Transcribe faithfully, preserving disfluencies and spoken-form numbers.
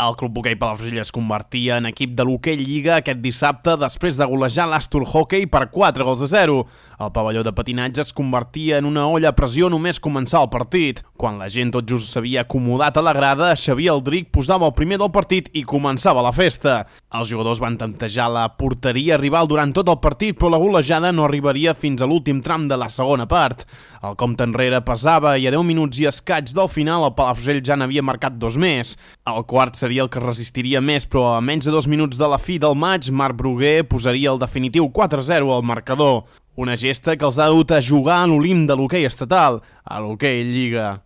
El Club Hoquei Palafrugell es convertia en equip de l'Hoquei Lliga aquest dissabte després de golejar l'Astur Hockey per quatre gols a zero. El pavelló de patinatge es convertia en una olla a pressió només començar el partit. Quan la gent tot just s'havia acomodat a la grada, Xavier Aldrich posava el primer del partit i començava la festa. Els jugadors van tantejar la porteria rival durant tot el partit, però la golejada no arribaria fins a l'últim tram de la segona part. El compte enrere pesava i a deu minuts i escaig del final el Palafrugell ja n'havia marcat dos més. El quart seria el que resistiria més, però a menys de dos minuts de la fi del maig, Marc Bruguer posaria el definitiu quatre a zero al marcador. Una gesta que els ha dut a jugar en l'Olimp de l'hoquei estatal, a l'Hoquei Lliga.